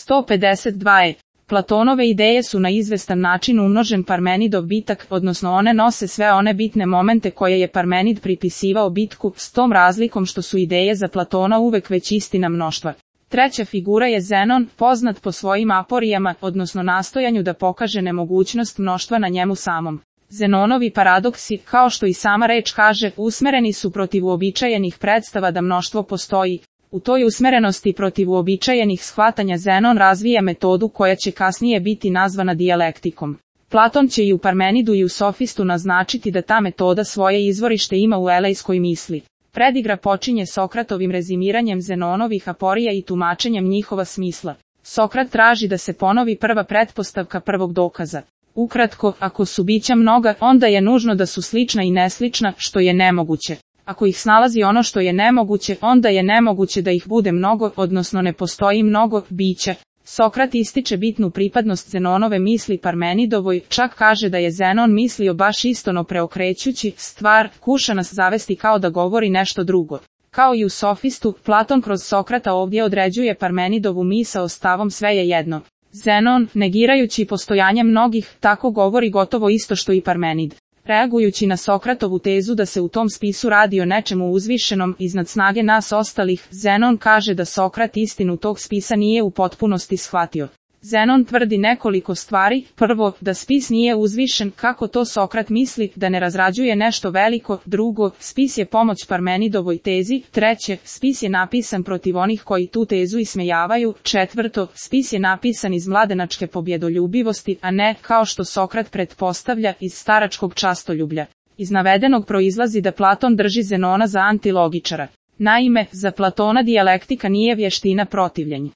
152. Platonove ideje su na izvestan način umnožen Parmenidov bitak, odnosno one nose sve one bitne momente koje je Parmenid pripisivao bitku, s tom razlikom što su ideje za Platona uvek već istina mnoštva. Treća figura je Zenon, poznat po svojim aporijama, odnosno nastojanju da pokaže nemogućnost mnoštva na njemu samom. Zenonovi paradoksi, kao što i sama reč kaže, usmereni su protiv uobičajenih predstava da mnoštvo postoji. U toj usmerenosti protiv uobičajenih shvatanja Zenon razvija metodu koja će kasnije biti nazvana dijalektikom. Platon će i u Parmenidu i u Sofistu naznačiti da ta metoda svoje izvorište ima u elejskoj misli. Predigra počinje Sokratovim rezimiranjem Zenonovih aporija i tumačenjem njihova smisla. Sokrat traži da se ponovi prva pretpostavka prvog dokaza. Ukratko, ako su bića mnoga, onda je nužno da su slična i neslična, što je nemoguće. Ako ih snalazi ono što je nemoguće, onda je nemoguće da ih bude mnogo, odnosno ne postoji mnogo bića. Sokrat ističe bitnu pripadnost Zenonove misli Parmenidovoj, čak kaže da je Zenon mislio baš istono preokrećući stvar, kuša nas zavesti kao da govori nešto drugo. Kao i u Sofistu, Platon kroz Sokrata ovdje određuje Parmenidovu misao stavom sve je jedno. Zenon, negirajući postojanje mnogih, tako govori gotovo isto što i Parmenid. Reagujući na Sokratovu tezu da se u tom spisu radi o nečemu uzvišenom iznad snage nas ostalih, Zenon kaže da Sokrat istinu tog spisa nije u potpunosti shvatio. Zenon tvrdi nekoliko stvari: prvo, da spis nije uzvišen, kako to Sokrat misli, da ne razrađuje nešto veliko; drugo, spis je pomoć Parmenidovoj tezi; treće, spis je napisan protiv onih koji tu tezu ismejavaju; četvrto, spis je napisan iz mladenačke pobjedoljubivosti, a ne, kao što Sokrat pretpostavlja, iz staračkog častoljublja. Iz navedenog proizlazi da Platon drži Zenona za antilogičara. Naime, za Platona dijalektika nije vještina protivljenja.